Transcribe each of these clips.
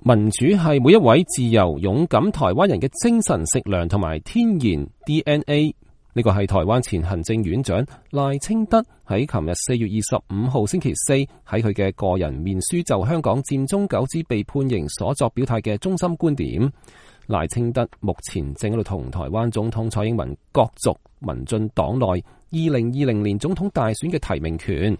民主係每一位自由勇敢台灣人嘅精神食糧同埋天然 DNA。呢個係台灣前行政院長賴清德喺琴日4月25號星期四喺佢嘅個人面書就香港佔中九子被判刑所作表態嘅中心觀點。賴清德目前正喺度同台灣總統蔡英文角逐民進黨內2020年總統大選嘅提名權。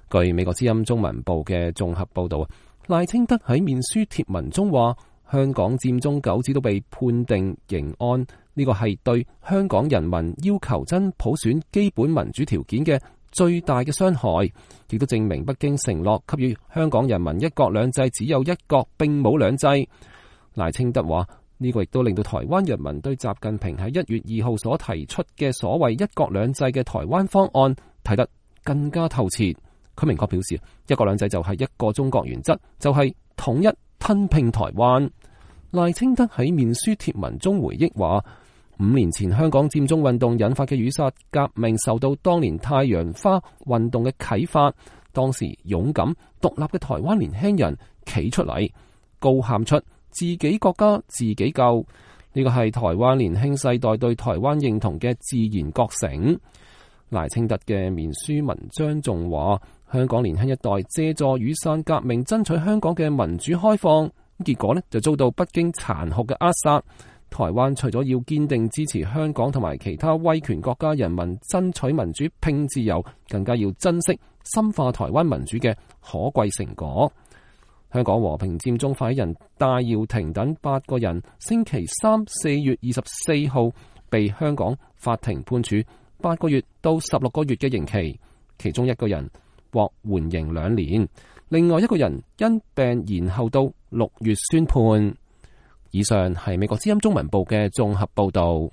據美國之音中文部嘅綜合報道，賴清德喺面書貼文中話，香港佔中九子都被判定刑案，呢個係對香港人民要求真普選基本民主條件嘅最大嘅傷害，亦都證明北京承諾給予香港人民一國兩制只有一國並冇兩制。賴清德話，呢個亦都令到台灣人民對習近平喺1月2號所提出嘅所謂一國兩制嘅台灣方案睇得更加透徹。佢明確表示，一國兩制就係一個中國原則，就係統一吞併台灣。賴清德喺面書貼文中回憶話，5年前香港佔中運動引發嘅雨傘革命受到當年太陽花運動嘅啟發，當時勇敢獨立嘅台灣年輕人企出嚟，高喊出自己國家自己救，呢個係台灣年輕世代對台灣認同嘅自然覺醒。賴清德嘅面書文章仲話，香港年輕一代借助雨傘革命爭取香港嘅民主開放，結果就遭到北京殘酷嘅扼殺。台灣除咗要堅定支持香港同埋其他威權國家人民爭取民主拼自由，更加要珍惜深化台灣民主嘅可貴成果。香港和平佔中發起人戴耀廷等8個人星期三4月24號被香港法庭判處8個月到16個月嘅刑期，其中1個人獲緩刑2年，另外1個人因病延後到6月宣判。以上係美國之音中文部嘅綜合報道。